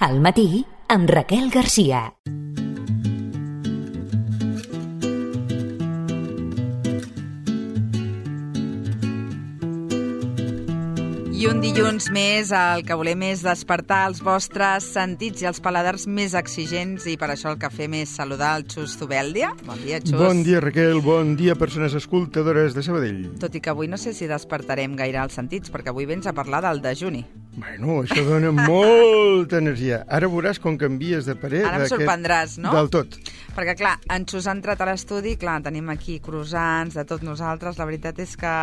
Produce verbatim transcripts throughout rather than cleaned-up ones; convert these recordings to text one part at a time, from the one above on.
Al matí, amb Raquel Garcia. I un dilluns més, el que volem és despertar els vostres sentits i els paladars més exigents, i per això el que fem és saludar el Xus Zubeldia. Bon dia, Xus. Bon dia, Raquel. Bon dia, persones escoltadores de Sabadell. Tot i que avui no sé si despertarem gaire els sentits, perquè avui vens a parlar del dejuni. Bueno, això dona molta energia. Ara veuràs com canvies de parer. Ara em sorprendràs, no? Del tot. Perquè, clar, en Xus ha entrat a l'estudi, clar, tenim aquí croissants de tots nosaltres. La veritat és que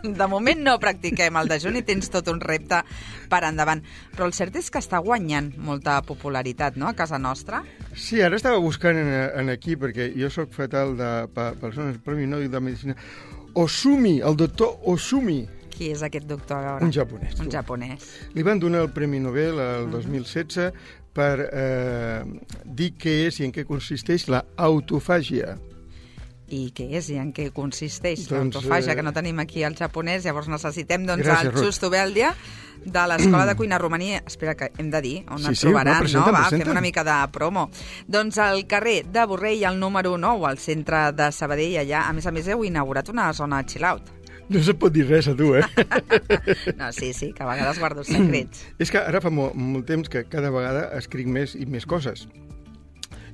de moment no practiquem el dejuni, tens tot un repte per endavant. Però el cert és que està guanyant molta popularitat, no?, a casa nostra. Sí, ara estava buscant en, en aquí, perquè jo sóc fatal de pa, persones, Premi Nobel de Medicina. Osumi, el doctor Osumi. Qui és aquest doctor, a veure? Un japonès. Un japonès. Li van donar el Premi Nobel el dos mil setze per eh, dir què és i en què consisteix la autofàgia. I què és i en què consisteix Doncs, l'autofàgia, eh... que no tenim aquí el japonès, llavors necessitem doncs, Gràcies, el Xus Zubeldia de l'Escola de Cuina Romaní. Espera, que hem de dir on Sí, et sí, trobaran, no, presenta, no? Va, presenta. fem una mica de promo. Doncs al carrer de Borrell, al número nou, al centre de Sabadell, allà, a més a més, heu inaugurat una zona chill-out. No se pot dir res a tu, eh? No, sí, sí, que a vegades guardo secrets. És que ara fa molt, molt temps que cada vegada escric més i més coses.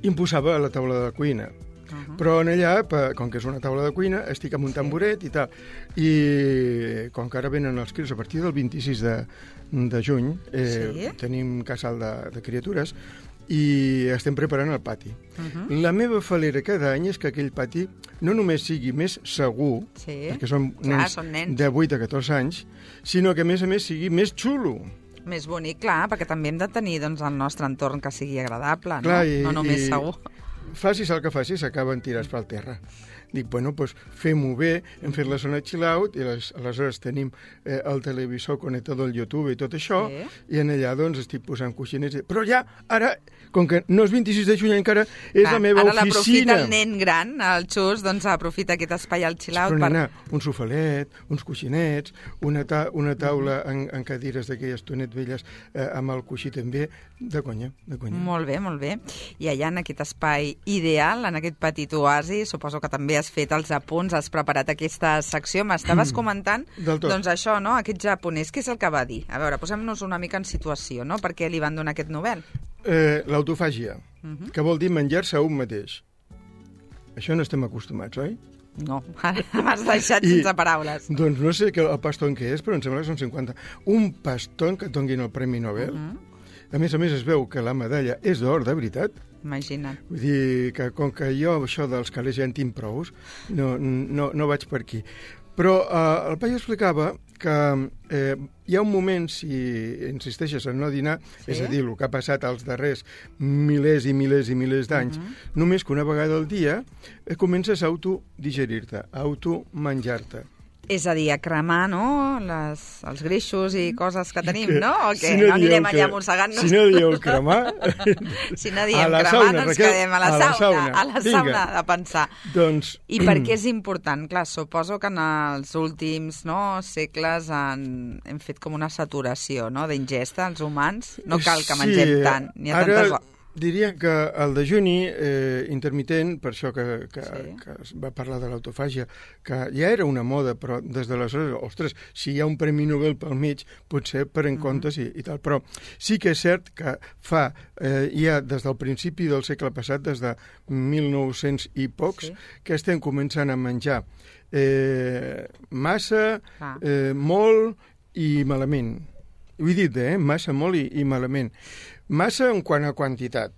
I em posava a la taula de la cuina. Uh -huh. Però en allà, com que és una taula de cuina, estic amb un tamboret i tal. I com que ara venen els crios a partir del vint-i-sis de, de juny, eh, sí? tenim casal de, de criatures, i estem preparant el pati. Uh-huh. La meva falera cada any és que aquell pati no només sigui més segur, sí. perquè són Clar, nens, són nens de vuit a catorze anys, sinó que a més a més sigui més xulo. Més bonic, clar, perquè també hem de tenir doncs, el nostre entorn que sigui agradable, clar, no? I, No només i segur. Facis el que facis, s'acaben tirats pel terra. Dic, bueno, doncs fem-ho bé, hem fet la zona chill-out, i les, aleshores tenim eh, el televisor connectat al YouTube i tot això, sí. I en allà doncs estic posant coixinets. Però ja, ara, com que no és vint-i-sis de juny encara, és Clar, la meva ara oficina. Ara l'aprofita el nen gran, el Xus, doncs aprofita aquest espai al chill-out. Però, per... nena, un sofalet, uns coixinets, una, ta una taula en, en cadires d'aquelles tonet velles eh, amb el coixí també, de conya, de conya. Molt bé, molt bé. I allà en aquest espai ideal, en aquest petit oasi, suposo que també has fet els apunts, has preparat aquesta secció. M'estaves comentant, doncs això, no?, aquest japonès, què és el que va dir? A veure, posem-nos una mica en situació, no?, per què li van donar aquest Nobel? Eh, L'autofàgia, uh -huh. que vol dir menjar-se a un mateix. Això no estem acostumats, oi? No, ara m'has deixat I, sense paraules. Doncs no sé el paston que és, però em sembla que són cinquanta. Un paston que et donin el Premi Nobel. Uh -huh. A més a més es veu que la medalla és d'or, de veritat. Imagina't. Vull dir que com que jo això dels calés ja en tinc prous, no, no, no vaig per aquí. Però eh, el paio explicava que eh, hi ha un moment, si insisteixes en no dinar, sí? És a dir, el que ha passat als darrers milers i milers i milers d'anys, uh -huh. només que una vegada al dia eh, comences a autodigerir-te, a automenjar-te. És a dir, a cremar, no?, Les, els greixos i coses que tenim, que, no? O què? Si no, no anirem que, allà mossegant-nos? Si no dieu cremar... si no diem cremar, sauna, no ens Raquel, quedem a la, a la sauna, sauna, a la sauna de pensar. Doncs... I per què és important? Clar, suposo que en els últims no, segles han, hem fet com una saturació, no?, d'ingesta, els humans. No cal que mengem sí, tant, ni a ara... tantes... Diria que el dejuni eh, intermitent, per això que, que, sí. que es va parlar de l'autofàgia, que ja era una moda, però des d'aleshores, ostres, si hi ha un Premi Nobel pel mig, potser per en comptes i, i tal. Però sí que és cert que fa, eh, ja des del principi del segle passat, des de mil nou-cents i pocs, sí. que estem començant a menjar eh, massa, ah. eh, molt i malament. Ho he dit, eh? Massa, molt i, i malament. Massa en quant a quantitat,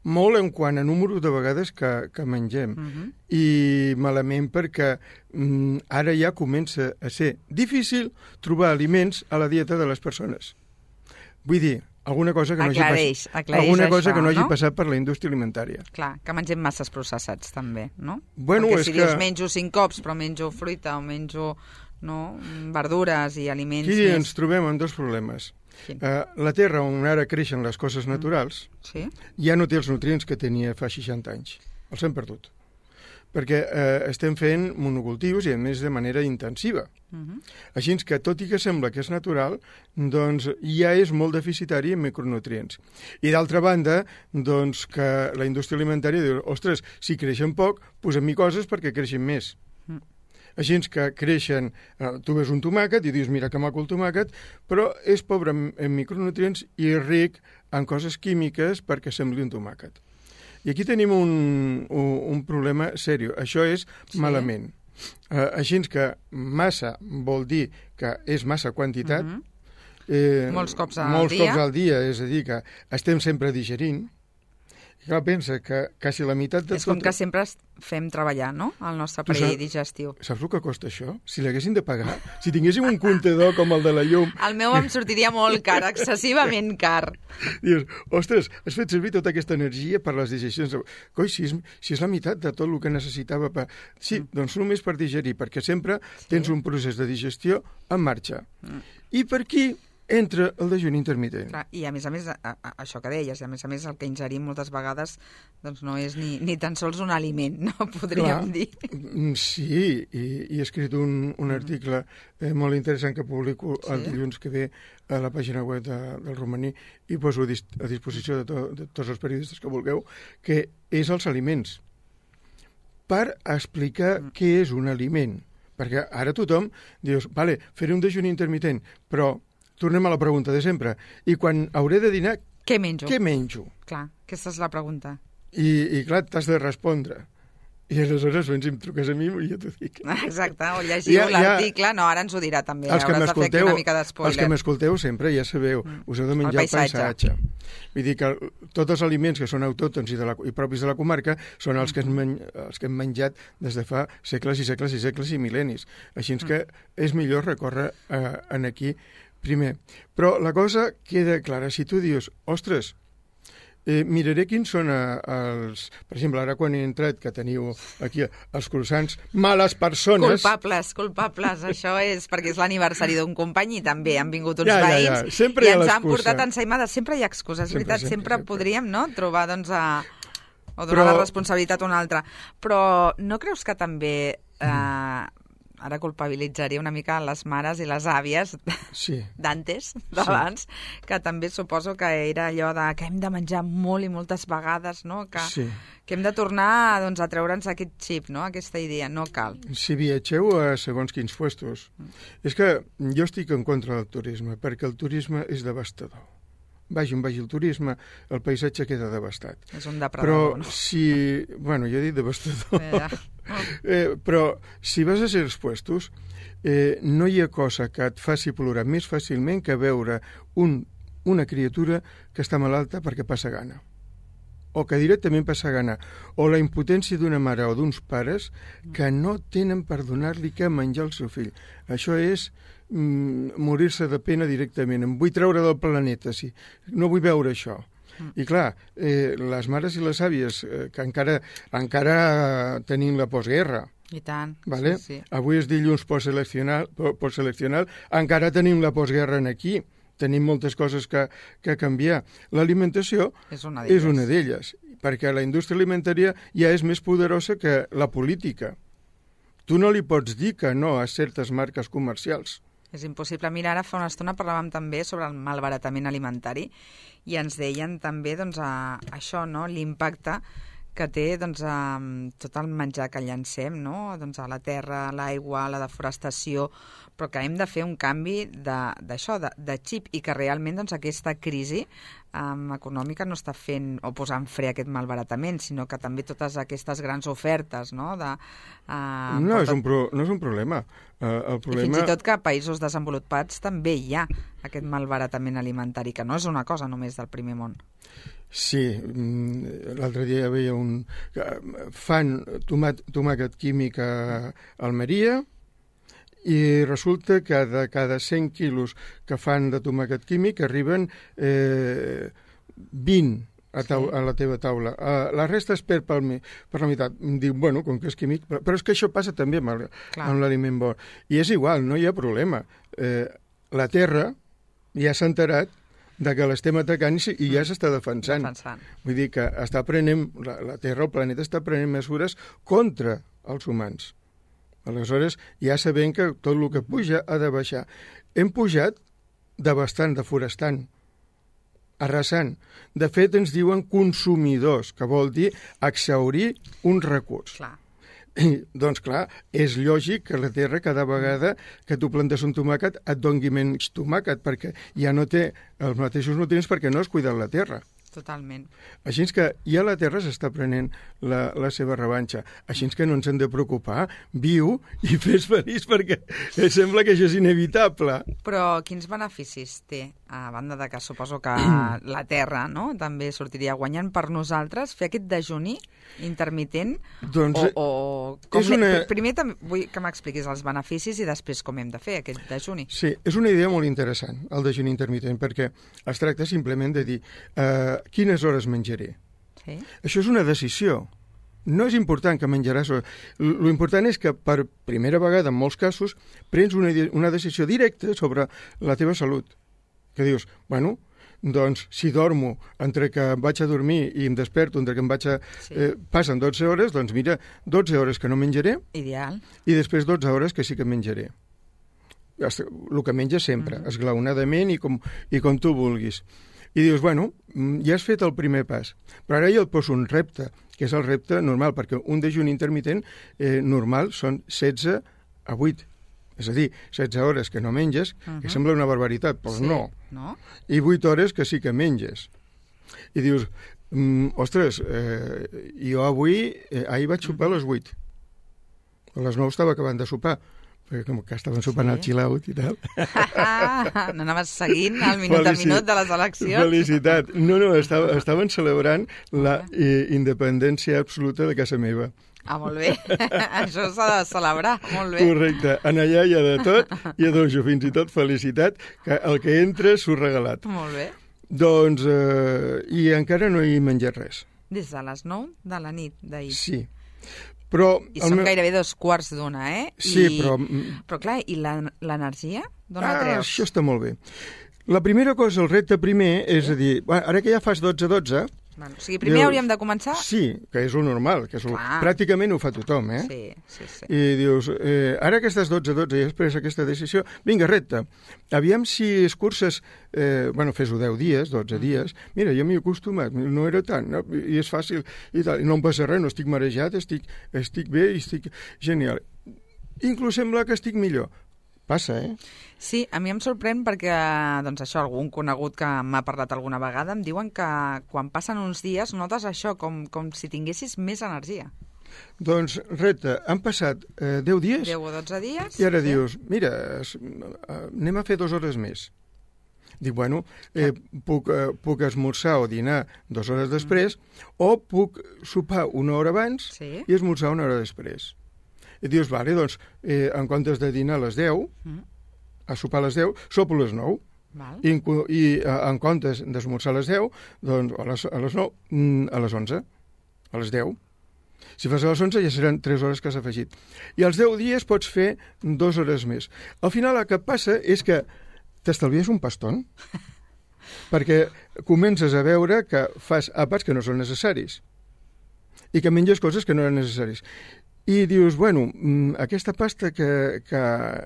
molt en quant a número de vegades que, que mengem, uh -huh. i malament perquè mm, ara ja comença a ser difícil trobar aliments a la dieta de les persones. Vull dir, alguna cosa que no, aclareix, hagi, pas... alguna cosa això, que no hagi no? passat per la indústria alimentària. Clar, que mengem masses processats també, no? Bueno, perquè és si que... dius menjo cinc cops, però menjo fruita o menjo no, verdures i aliments Aquí més... ens trobem amb dos problemes. Uh, la terra on ara creixen les coses naturals sí? ja no té els nutrients que tenia fa seixanta anys. Els hem perdut. perquè eh, estem fent monocultius i, a més, de manera intensiva. Uh-huh. Així que, tot i que sembla que és natural, doncs ja és molt deficitari en micronutrients. I, d'altra banda, doncs que la indústria alimentària diu, ostres, si creixen poc, posem-hi coses perquè creixin més. Uh-huh. Així que creixen, eh, tu ves un tomàquet i dius, mira que maco el tomàquet, però és pobre en, en micronutrients i ric en coses químiques perquè sembli un tomàquet. I aquí tenim un, un, un problema seriós. Això és sí. malament. Eh, així que massa vol dir que és massa quantitat. Uh-huh. eh, molts cops al molts dia. Molts cops al dia, és a dir, que estem sempre digerint. Clar, pensa que quasi la meitat de tot... És com que sempre fem treballar, no?, el nostre aparell digestiu. Saps el que costa això? Si l'haguessin de pagar, si tinguéssim un comptador com el de la llum... El meu em sortiria molt car, excessivament car. Dius, ostres, has fet servir tota aquesta energia per les digestions. Coi, si és, si és la meitat de tot el que necessitava per... Sí, mm. doncs només per digerir, perquè sempre sí. tens un procés de digestió en marxa. Mm. I per aquí entra el dejuni intermitent. Clar, i a més a més, a, a, això que deies, a més a més el que ingerim moltes vegades doncs no és ni, ni tan sols un aliment, no podríem Clar, dir. Sí, i, i he escrit un, un article eh, molt interessant que publico sí. el dilluns que ve a la pàgina web de, del Romaní i poso a, dis, a disposició de, to, de tots els periodistes que vulgueu, que és els aliments. Per explicar mm. què és un aliment. Perquè ara tothom dius, vale, faré un dejuni intermitent, però tornem a la pregunta de sempre. I quan hauré de dinar, què menjo? Què menjo? Clar, aquesta és la pregunta. I, i clar, t'has de respondre. I aleshores, doncs, si em truques a mi, jo t'ho dic. Exacte, o llegiu ja, l'article. Ja, no, ara ens ho dirà també. Els que m'escolteu, una mica d'espoiler. Els que m'escolteu sempre ja sabeu, mm. us heu de menjar el paisatge. el paisatge. Vull dir que tots els aliments que són autòctons i, de la, i propis de la comarca són els que, hem men, els que hem menjat des de fa segles i segles i segles i mil·lennis. Així que és millor recórrer eh, en aquí primer. Però la cosa queda clara. Si tu dius, ostres, eh, miraré quins són eh, els... Per exemple, ara quan he entrat, que teniu aquí els croissants, males persones... Culpables, culpables. Això és perquè és l'aniversari d'un company i també han vingut uns ja, veïns ja, ja. Sempre i hi ens han portat ensaïmades. Sempre hi ha excuses, és veritat. Sempre, sempre, sempre podríem no, trobar, doncs, a... o donar Però... la responsabilitat a una altra. Però no creus que també... Eh, mm. ara culpabilitzaria una mica les mares i les àvies sí. d'antes, d'abans, sí. que també suposo que era allò de que hem de menjar molt i moltes vegades, no? Que, sí. que hem de tornar doncs, a treure'ns aquest xip, no? Aquesta idea, no cal. Si viatgeu a segons quins puestos, mm. és que jo estic en contra del turisme, perquè el turisme és devastador. Vagi on vagi el turisme, el paisatge queda devastat. És un depredador, però no? si... Bueno, jo he dit devastador. Eh, oh. eh, però si vas a certs puestos, eh, no hi ha cosa que et faci plorar més fàcilment que veure un, una criatura que està malalta perquè passa gana. O que directament passa gana, o la impotència d'una mare o d'uns pares que no tenen per donar-li què menjar al seu fill. Això és mm, morir-se de pena directament. Em vull treure del planeta, sí. No vull veure això. I clar, eh, les mares i les àvies, eh, que encara, encara tenim la postguerra, i tant, vale? sí, sí. Avui és dilluns postseleccional, postseleccional, encara tenim la postguerra aquí. Tenim moltes coses que, que canviar. L'alimentació és una d'elles. és una d'elles, perquè la indústria alimentària ja és més poderosa que la política. Tu no li pots dir que no a certes marques comercials. És impossible. Mira, ara fa una estona parlàvem també sobre el malbaratament alimentari i ens deien també doncs, a, això, no? L'impacte que té doncs, a, tot el menjar que llancem, no? Doncs, a la terra, a l'aigua, a la deforestació, però que hem de fer un canvi d'això, de, de, de xip, i que realment doncs, aquesta crisi um, econòmica no està fent o posant fre a aquest malbaratament, sinó que també totes aquestes grans ofertes, no? De, uh, no, és un pro, no és un problema. Uh, el problema... I fins i tot que a països desenvolupats també hi ha aquest malbaratament alimentari, que no és una cosa només del primer món. Sí, l'altre dia veia un... Fan tomat, tomàquet químic a Almeria i resulta que de cada cent quilos que fan de tomàquet químic arriben eh, vint a, tau, a la teva taula. Uh, la resta es perd per, mi, per la meitat. Em diu, bueno, com que és químic... Però, però és que això passa també amb, amb l'aliment bo. I és igual, no hi ha problema. Eh, la terra ja s'ha enterat de que l'estem atacant i, i ja s'està defensant. defensant. Vull dir que està prenent, la, la Terra, el planeta, està prenent mesures contra els humans. Aleshores, ja sabem que tot el que puja ha de baixar. Hem pujat devastant, deforestant, arrasant. De fet, ens diuen consumidors, que vol dir exhaurir un recurs. Clar. I, doncs clar, és lògic que la terra cada vegada que tu plantes un tomàquet et doni menys tomàquet, perquè ja no té els mateixos nutrients perquè no has cuidat la terra. Totalment. Així que ja la Terra s'està prenent la, la seva revanxa. Així que no ens hem de preocupar. Viu i fes feliç, perquè sembla que això és inevitable. Però quins beneficis té, a banda de que suposo que la Terra, no?, també sortiria guanyant per nosaltres, fer aquest dejuni intermitent? Doncs, o, o com una... Primer també vull que m'expliquis els beneficis i després com hem de fer aquest dejuni. Sí, és una idea molt interessant, el dejuni intermitent, perquè es tracta simplement de dir eh, quines hores menjaré. Sí. Això és una decisió. No és important que menjaràs... Lo important és que per primera vegada, en molts casos, prens una, una decisió directa sobre la teva salut. Que dius, bueno, doncs si dormo entre que em vaig a dormir i em desperto, entre que em vaig a... Sí. Eh, passen dotze hores, doncs mira, dotze hores que no menjaré. Ideal. I després dotze hores que sí que menjaré. El que menges sempre, uh-huh. esglaonadament i com, i com tu vulguis. I dius, bueno, ja has fet el primer pas, però ara jo et poso un repte, que és el repte normal, perquè un dejuni intermitent eh, normal són setze a vuit. És a dir, setze hores que no menges, uh-huh. que sembla una barbaritat, però sí, no. no. I vuit hores que sí que menges. I dius, mm, ostres, eh, jo avui, eh, ahir vaig sopar a les vuit. A les nou estava acabant de sopar, perquè com que estaven sopant sí. al chill out i tal. No anaves seguint el minut Felici... a minut de les eleccions? Felicitat. No, no, estava, estaven celebrant la eh, independència absoluta de casa meva. Ah, molt bé. Això s'ha de celebrar, molt bé. Correcte. En allà hi ha de tot, hi ha dojo, fins i tot felicitat, que el que entra s'ho regalat. Molt bé. Doncs, eh, i encara no he menjat res. Des de les nou de la nit d'ahir. Sí. Però, I som meu... gairebé dos quarts d'una, eh? Sí, I... però... Però clar, i l'energia? D'on la ah, treus? Això està molt bé. La primera cosa, el repte primer, és a dir, ara que ja fas dotze dotze... Bueno, o sigui, primer dius, hauríem de començar... Sí, que és el normal, que és el... pràcticament ho fa tothom, eh? Sí, sí, sí. I dius, eh, ara que estàs dotze dotze i has pres aquesta decisió, vinga, repte. Aviam si escurces, eh, bueno, fes-ho deu dies, dotze mm. dies, mira, jo m'hi he acostumat, no era tant, no? I és fàcil, i tal, i no em passa res, no estic marejat, estic, estic bé i estic genial. Inclús sembla que estic millor. Passa, eh? Sí, a mi em sorprèn perquè, doncs això, algun conegut que m'ha parlat alguna vegada em diuen que quan passen uns dies notes això, com, com si tinguessis més energia. Doncs, repte, han passat eh, deu dies... deu o dotze dies. I ara sí. dius, mira, es, anem a fer dues hores més. Dic, bueno, eh, puc, eh, puc esmorzar o dinar dues hores després, mm. o puc sopar una hora abans sí. i esmorzar una hora després. I dius, vale, doncs, eh, en comptes de dinar a les deu, mm. a sopar a les deu, sopo a les nou. Val. I, i en comptes d'esmorzar a les deu, doncs a les, a les nou, a les onze, a les deu. Si fas a les onze ja seran tres hores que has afegit. I als deu dies pots fer dues hores més. Al final el que passa és que t'estalvies un paston, perquè comences a veure que fas àpats que no són necessaris i que menges coses que no eren necessaris. I dius, bueno, aquesta pasta que, que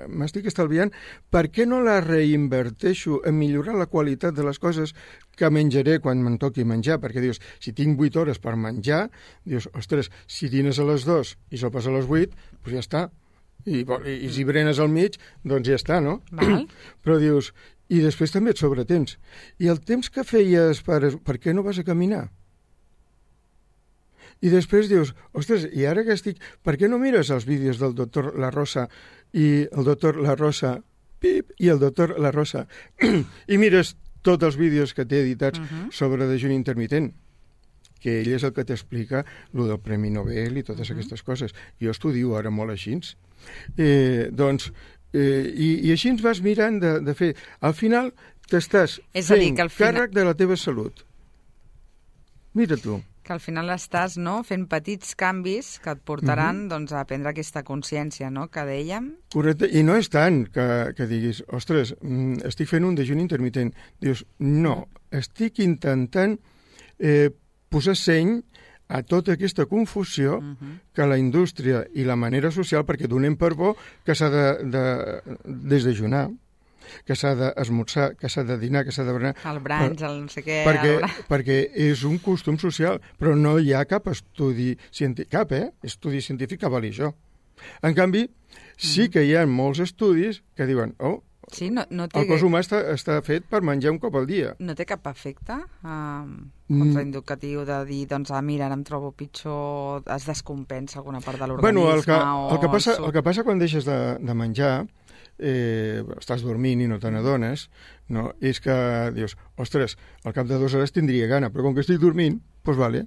m'estic estalviant, per què no la reinverteixo en millorar la qualitat de les coses que menjaré quan me'n toqui menjar? Perquè dius, si tinc vuit hores per menjar, dius, ostres, si dines a les dues i sopes a les vuit, doncs ja està. I, i, i si berenes al mig, doncs ja està, no? Val. Però dius, i després també et sobra temps. I el temps que feies, per, per què no vas a caminar? I després dius, ostres, i ara que estic... Per què no mires els vídeos del doctor La Rosa i el doctor La Rosa pip, i el doctor La Rosa i mires tots els vídeos que té editats uh-huh. sobre dejuni intermitent, que ell és el que t'explica lo del Premi Nobel i totes uh-huh. aquestes coses. Jo estudio ara molt així. Eh, doncs, eh, i, i així ens vas mirant de, de fer... Al final t'estàs fent dir, que al final... càrrec de la teva salut. Mira tu. Que al final estàs, no?, fent petits canvis que et portaran, uh-huh. doncs, a prendre aquesta consciència, no?, que dèiem. Correcte, i no és tant que, que diguis, ostres, estic fent un dejuni intermitent. Dius, no, estic intentant eh, posar seny a tota aquesta confusió uh-huh. que la indústria i la manera social, perquè donem per bo que s'ha de, de desdejunar, que s'ha d'esmorzar, que s'ha de dinar, que s'ha de berenar... El brunch, el no sé què... Perquè, el... perquè és un costum social, però no hi ha cap estudi científic, cap, eh? Estudi científic que avali això. En canvi, sí que hi ha molts estudis que diuen, oh, sí, no, no té... el cos humà està, està fet per menjar un cop al dia. No té cap efecte um, contraindicatiu de dir, doncs, ah, mira, ara em trobo pitjor, es descompensa alguna part de l'organisme... Bueno, el que, o el, que passa, el que passa quan deixes de, de menjar, eh, estàs dormint i no te n'adones, no? És que dius, ostres, al cap de dues hores tindria gana, però com que estic dormint, doncs vale.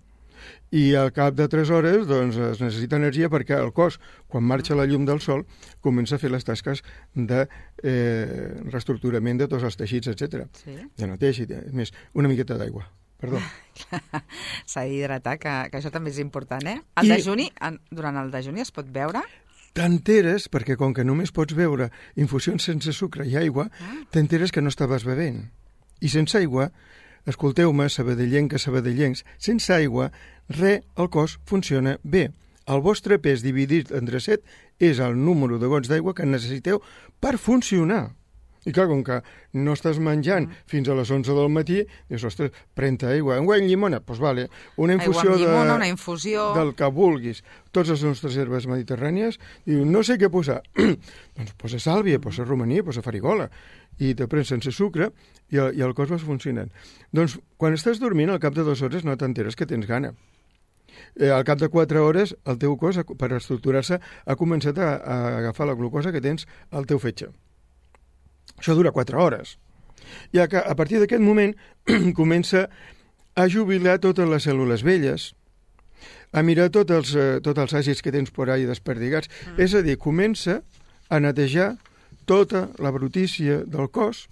I al cap de tres hores doncs, es necessita energia perquè el cos, quan marxa la llum del sol, comença a fer les tasques de eh, reestructurament de tots els teixits, etcètera. Sí. De neteja, i més, una miqueta d'aigua. Perdó. S'ha d'hidratar, que, que això també és important, eh? El I... dejuni, en, durant el dejuni es pot beure? T'enteres, perquè com que només pots beure infusions sense sucre i aigua, ah. t'enteres que no estaves bevent. I sense aigua, escolteu-me, sabadellenques, sabadellencs, sense aigua, res, el cos funciona bé. El vostre pes dividit entre set és el número de gots d'aigua que necessiteu per funcionar. I clar, com que no estàs menjant mm. fins a les onze del matí, dius, ostres, pren-te aigua. Un guany llimona? Doncs pues vale. Una infusió, llimona, de, una infusió del que vulguis. Totes les nostres herbes mediterrànies, diu, no sé què posar. Doncs posa sàlvia, mm. posa romaní, posa farigola. I te prens sense sucre i el, i el cos va funcionant. Doncs quan estàs dormint, al cap de dues hores no t'enteres que tens gana. Eh, al cap de quatre hores, el teu cos, per estructurar-se, ha començat a, a agafar la glucosa que tens al teu fetge. Això dura quatre hores. I a, a partir d'aquest moment comença a jubilar totes les cèl·lules velles, a mirar tots els, eh, tots els àcids que tens por ahí desperdigats. Mm. És a dir, comença a netejar tota la brutícia del cos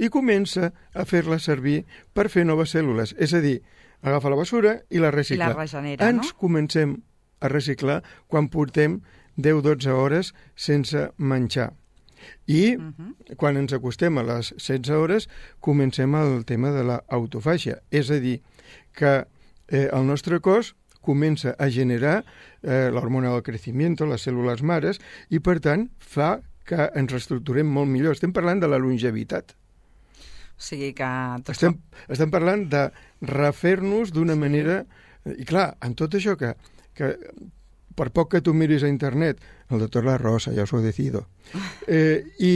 i comença a fer-la servir per fer noves cèl·lules. És a dir, agafa la basura i la recicla. I la regenera, Ens no? comencem a reciclar quan portem deu a dotze hores sense menjar. I uh-huh. quan ens acostem a les setze hores comencem el tema de l'autofàgia. És a dir, que eh, el nostre cos comença a generar eh, l'hormona del creixement, les cèl·lules mares, i per tant fa que ens reestructurem molt millor. Estem parlant de la longevitat. O sigui que... Tot estem, estem parlant de refer-nos d'una sí. manera... I clar, en tot això que, que per poc que tu miris a internet, el doctor La Rosa, ja us ho decido, eh, i,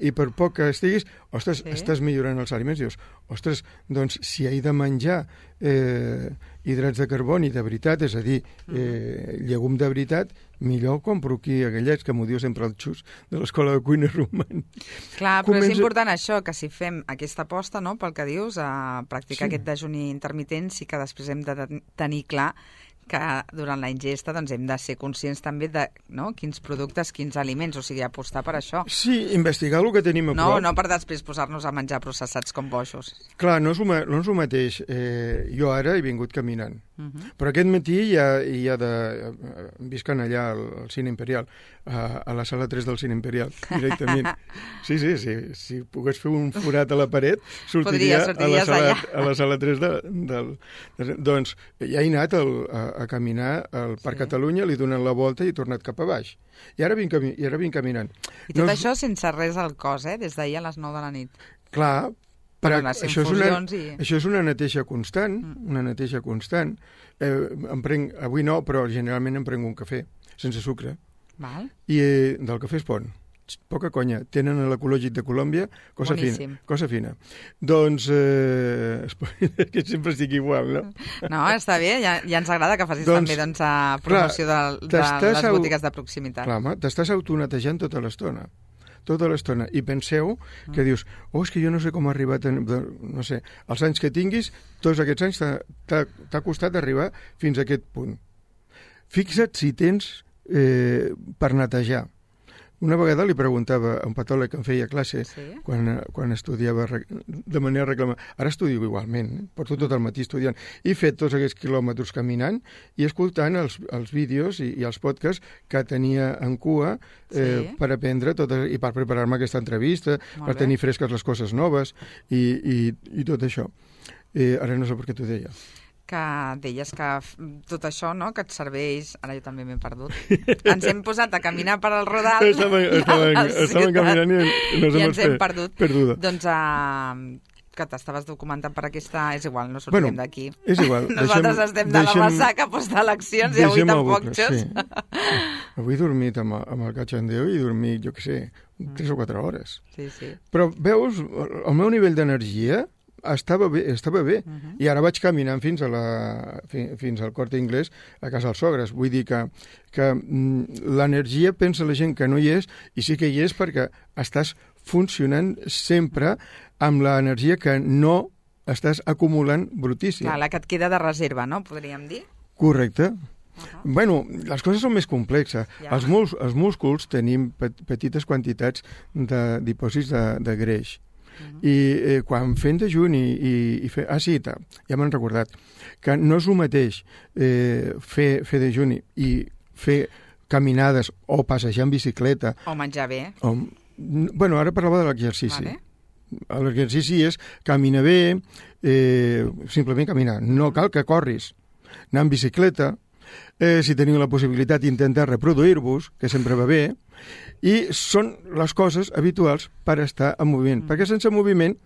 i per poc que estiguis, ostres, sí. estàs millorant els aliments, dius, ostres, doncs si he de menjar eh, hidrats de carboni de veritat, és a dir, eh, llegum de veritat, millor compro aquí a Gallets, que m'ho diu sempre el Xus de l'Escola de Cuina Roman. Clar, però Comença... és important això, que si fem aquesta aposta, no, pel que dius, a practicar sí. aquest dejuni intermitent, sí que després hem de tenir clar que durant la ingesta doncs, hem de ser conscients també de no, quins productes, quins aliments, o sigui, apostar per això. Sí, investigar el que tenim a no, prop. No per després posar-nos a menjar processats com boixos. Clar, no és, una, no és el mateix. Eh, jo ara he vingut caminant, uh -huh. però aquest matí ja, ja de, visquen allà al, al Cine Imperial, a, a la sala tres del Cine Imperial, directament. Sí, sí, sí, si pogués fer un forat a la paret, sortiria a la sala, a la sala tres de, del... De, doncs ja he anat el, a, a caminar al Parc sí. Catalunya, li he donat la volta i he tornat cap a baix. I ara vinc, cami i ara vinc caminant. I tot no, això sense res al cos, eh? Des d'ahir a les nou de la nit. Clar, però això és, una, i... això és una neteja constant, mm. una neteja constant. Eh, em prenc, avui no, però generalment em prenc un cafè, sense sucre. Val. I eh, del cafè es pon. Poca conya. Tenen l'ecològic de Colòmbia, cosa Boníssim. fina. Cosa fina. Doncs, eh, que sempre estic igual, no? No, està bé, ja, ja ens agrada que facis doncs, també doncs, a promoció clar, de, de les botigues de proximitat. Clar, home, t'estàs autonetejant tota l'estona. tota l'estona. I penseu que dius, oh, és que jo no sé com ha arribat, a, no sé, els anys que tinguis, tots aquests anys t'ha costat arribar fins a aquest punt. Fixa't si tens eh, per netejar Una vegada li preguntava a un patòleg que em feia classe sí? quan, quan estudiava de manera reclamada. Ara estudio igualment, eh? Porto tot el matí estudiant. He fet tots aquests quilòmetres caminant i escoltant els, els vídeos i, i els podcasts que tenia en cua eh, sí? per aprendre tot, i per preparar-me aquesta entrevista, Molt per bé. tenir fresques les coses noves i, i, i tot això. Eh, ara no sé per què t'ho deia. Que deies que tot això, no?, que et serveix... Ara jo també m'he perdut. Ens hem posat a caminar per al Rodal. Estàvem, estàvem, estàvem caminant i, i nos I hem ens hem perdut. Perduda. Doncs uh, que t'estaves documentant per aquesta... És igual, no sortirem bueno, d'aquí. És igual. Nosaltres deixem, estem de deixem, la ressaca post-eleccions i avui tampoc, Xos. Sí. Avui he dormit amb, amb el catxandeu i he dormit, jo què sé, tres o quatre hores. Sí, sí. Però veus, el meu nivell d'energia estava bé, estava bé. Uh -huh. I ara vaig caminant fins, a la, fins al Corte Inglés a casa dels sogres. Vull dir que, que l'energia pensa la gent que no hi és, i sí que hi és perquè estàs funcionant sempre amb l'energia que no estàs acumulant brutícia. Clar, la que et queda de reserva, no?, podríem dir. Correcte. Uh-huh. Bueno, les coses són més complexes. Ja. Els, mus, els músculs tenim pet, petites quantitats de dipòsits de, de greix. Uh-huh. I eh, quan fem dejuni i, i fer... Ah, sí, ja m'han recordat que no és el mateix eh, fer, fer dejuni i fer caminades o passejar en bicicleta. O menjar bé. O, bueno, ara parlava de l'exercici. Vale. L'exercici és caminar bé, eh, simplement caminar. No cal que corris. Anar en bicicleta, eh, si teniu la possibilitat d'intentar reproduir-vos, que sempre va bé, i són les coses habituals per estar en moviment, mm. perquè sense moviment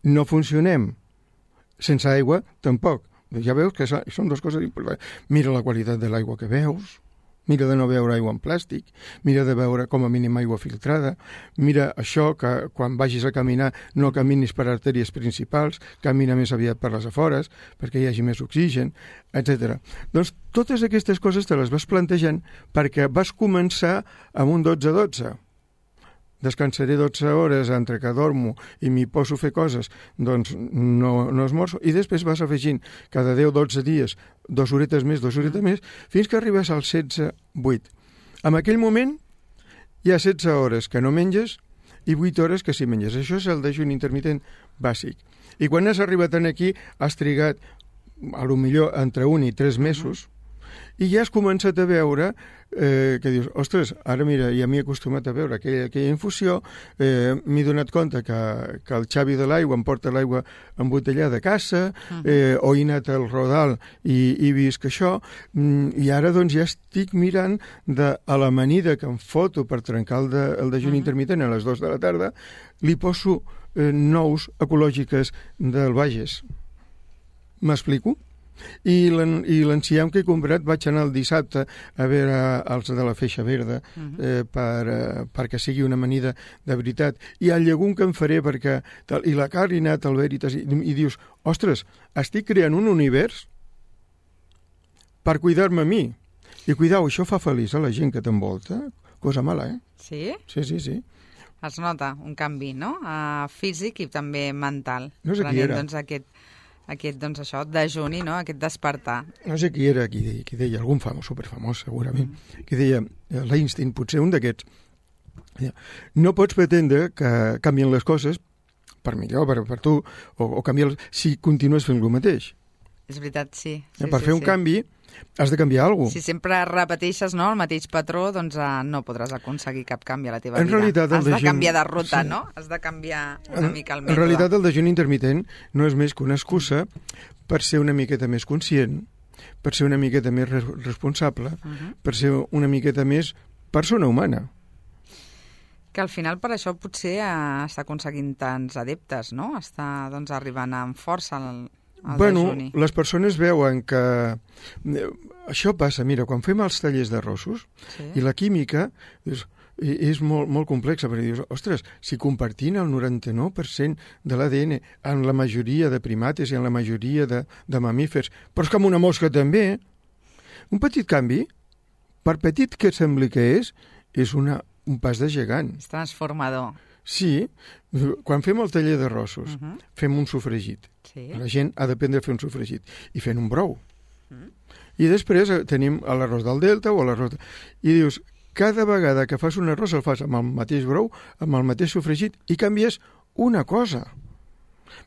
no funcionem. Sense aigua, tampoc. Ja veus que són dues coses importants. Mira la qualitat de l'aigua que veus, mira de no beure aigua en plàstic, mira de beure com a mínim aigua filtrada, mira això que quan vagis a caminar no caminis per artèries principals, camina més aviat per les afores perquè hi hagi més oxigen, etcètera. Doncs totes aquestes coses te les vas plantejant perquè vas començar amb un dotze dotze. Descansaré dotze hores entre que dormo i m'hi poso a fer coses, doncs no, no esmorzo, i després vas afegint cada deu dotze dies dues horetes més, dues horetes més, fins que arribes al setze vuit. En aquell moment hi ha setze hores que no menges i vuit hores que sí menges. Això és el dejuni intermitent bàsic. I quan has arribat aquí has trigat a lo millor entre un i tres mesos i ja has començat a veure eh, que dius, ostres, ara mira, ja m'he acostumat a veure aquella, aquella infusió, eh, m'he donat compte que, que el Xavi de l'aigua em porta l'aigua embotellada a casa, eh, o he anat al Rodal i he vist que això, mm, i ara doncs ja estic mirant de, a l'amanida que em foto per trencar el, de, el dejuni uh-huh. intermitent a les dues de la tarda, li poso eh, nous ecològiques del Bages. M'explico? I l'enciam que he comprat vaig anar el dissabte a veure els de la feixa verda eh, per, eh, perquè sigui una amanida de veritat, i el llegum que em faré perquè, tal, i la carn al Veritas, i, i dius, ostres, estic creant un univers per cuidar-me a mi, i cuidau, això fa feliç a la gent que t'envolta, cosa mala, eh? Sí? Sí, sí, sí. Es nota un canvi, no?, uh, físic i també mental. No sé qui era. Doncs, aquest aquest, doncs això, dejuni, no?, aquest despertar. No sé qui era qui deia, qui deia algun famós, superfamós, segurament, mm. qui deia, l'Einstein, potser un d'aquests, no pots pretendre que canvien les coses per millor, per, per tu, o, o canviar si continues fent el mateix. És veritat, sí. sí per sí, fer un sí. canvi has de canviar alguna cosa. Si sempre repeteixes, no, el mateix patró, doncs uh, no podràs aconseguir cap canvi a la teva en vida. Realitat, has de dejuni... canviar de ruta, sí. no? Has de canviar una en, mica el mètode. En realitat, el dejuni intermitent no és més que una excusa per ser una miqueta més conscient, per ser una miqueta més re responsable, uh -huh. per ser una miqueta més persona humana. Que al final per això potser uh, està aconseguint tants adeptes, no? Està doncs, arribant amb força al... Bueno, dejuni. Les persones veuen que això passa, mira, quan fem els tallers de rossos sí. i la química és, és molt, molt complexa, perquè dius, ostres, si compartint el noranta-nou per cent de l'A D N en la majoria de primates i en la majoria de, de mamífers, però és com una mosca també, un petit canvi, per petit que sembli que és, és una, un pas de gegant. És transformador. Sí, quan fem el taller de rossos, uh -huh. fem un sofregit. Sí. La gent ha d'aprendre a fer un sofregit. I fent un brou. Uh -huh. I després tenim l'arròs del Delta o l'arròs... I dius, cada vegada que fas un arròs el fas amb el mateix brou, amb el mateix sofregit, i canvies una cosa.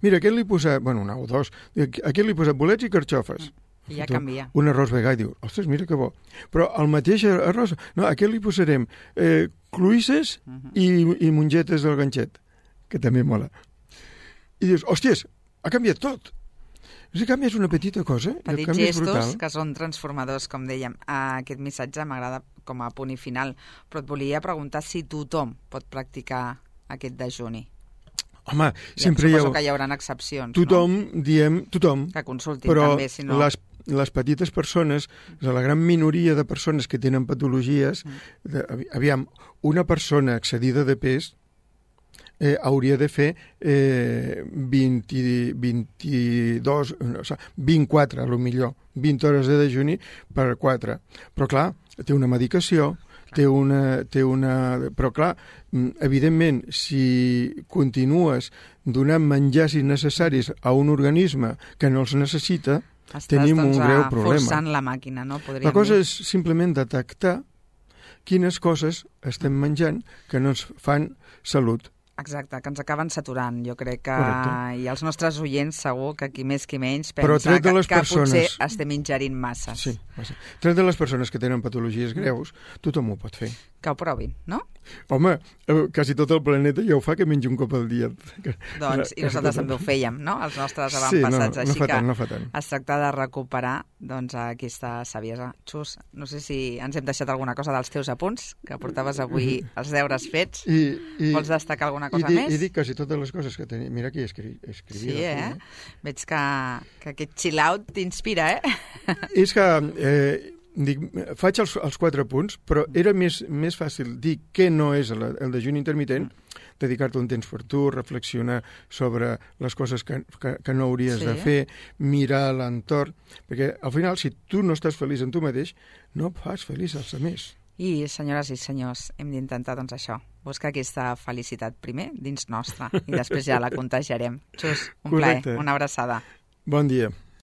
Mira, aquest li he posat, bueno, una o dos, aquest li he posat bolets i carxofes. I ja canvia. Un arròs vegà i diu, ostres, mira que bo. Però el mateix arròs, no, aquest li posarem eh, cloïsses uh -huh. i, i mongetes del ganxet, que també mola. I dius, hòsties, ha canviat tot. Si canvies una petita cosa, petits el canvi és brutal. gestos que són transformadors, com dèiem. Aquest missatge m'agrada com a punt i final, però et volia preguntar si tothom pot practicar aquest dejuni. Home, sempre hi ha... Suposo que hi haurà excepcions, tothom, no? diem, tothom. Que consultin però també, si no... les, les petites persones, la gran minoria de persones que tenen patologies, mm. de, aviam, una persona excedida de pes eh, hauria de fer eh, vint, vint-i-dos, no, o sigui, vint-i-quatre, a lo millor, vint hores de dejuni per quatre. Però, clar, té una medicació, té una, té una... Però, clar, evidentment, si continues donant menjars innecessaris a un organisme que no els necessita, Estàs, tenim doncs, un greu problema. Forçant la màquina, no? Podríem la cosa dir. és simplement detectar quines coses estem menjant que no ens fan salut. Exacte, que ens acaben saturant. Jo crec que Correcte. i els nostres oients segur que qui més qui menys Però pensa que, les que persones... potser estem ingerint masses. Sí, massa. Tret de les persones que tenen patologies greus, tothom ho pot fer. Que ho provin, no? Home, quasi tot el planeta ja ho fa, que menja un cop al dia. Doncs, i nosaltres també ho fèiem, no? Els nostres avantpassats. Sí, no, no Així fa que tant, no fa tant. es tracta de recuperar doncs, aquesta saviesa. Xus, no sé si ens hem deixat alguna cosa dels teus apunts, que portaves avui els deures fets. I, i, Vols destacar alguna cosa i di, més? I dic quasi totes les coses que tenia. Mira aquí escri, escrivia. Sí, eh? Veig que, que aquest chill-out t'inspira, eh? És que... Eh, Dic, faig els, els quatre punts, però era més, més fàcil dir què no és el, el dejuni intermitent, dedicar-te un temps per tu, reflexionar sobre les coses que, que, que no hauries sí. de fer, mirar l'entorn, perquè al final, si tu no estàs feliç en tu mateix, no fas feliç als altres. I, senyores i senyors, hem d'intentar, doncs, això, buscar aquesta felicitat primer dins nostra i després ja la contagiarem. Xus, un Correcte. plaer, una abraçada. Bon dia.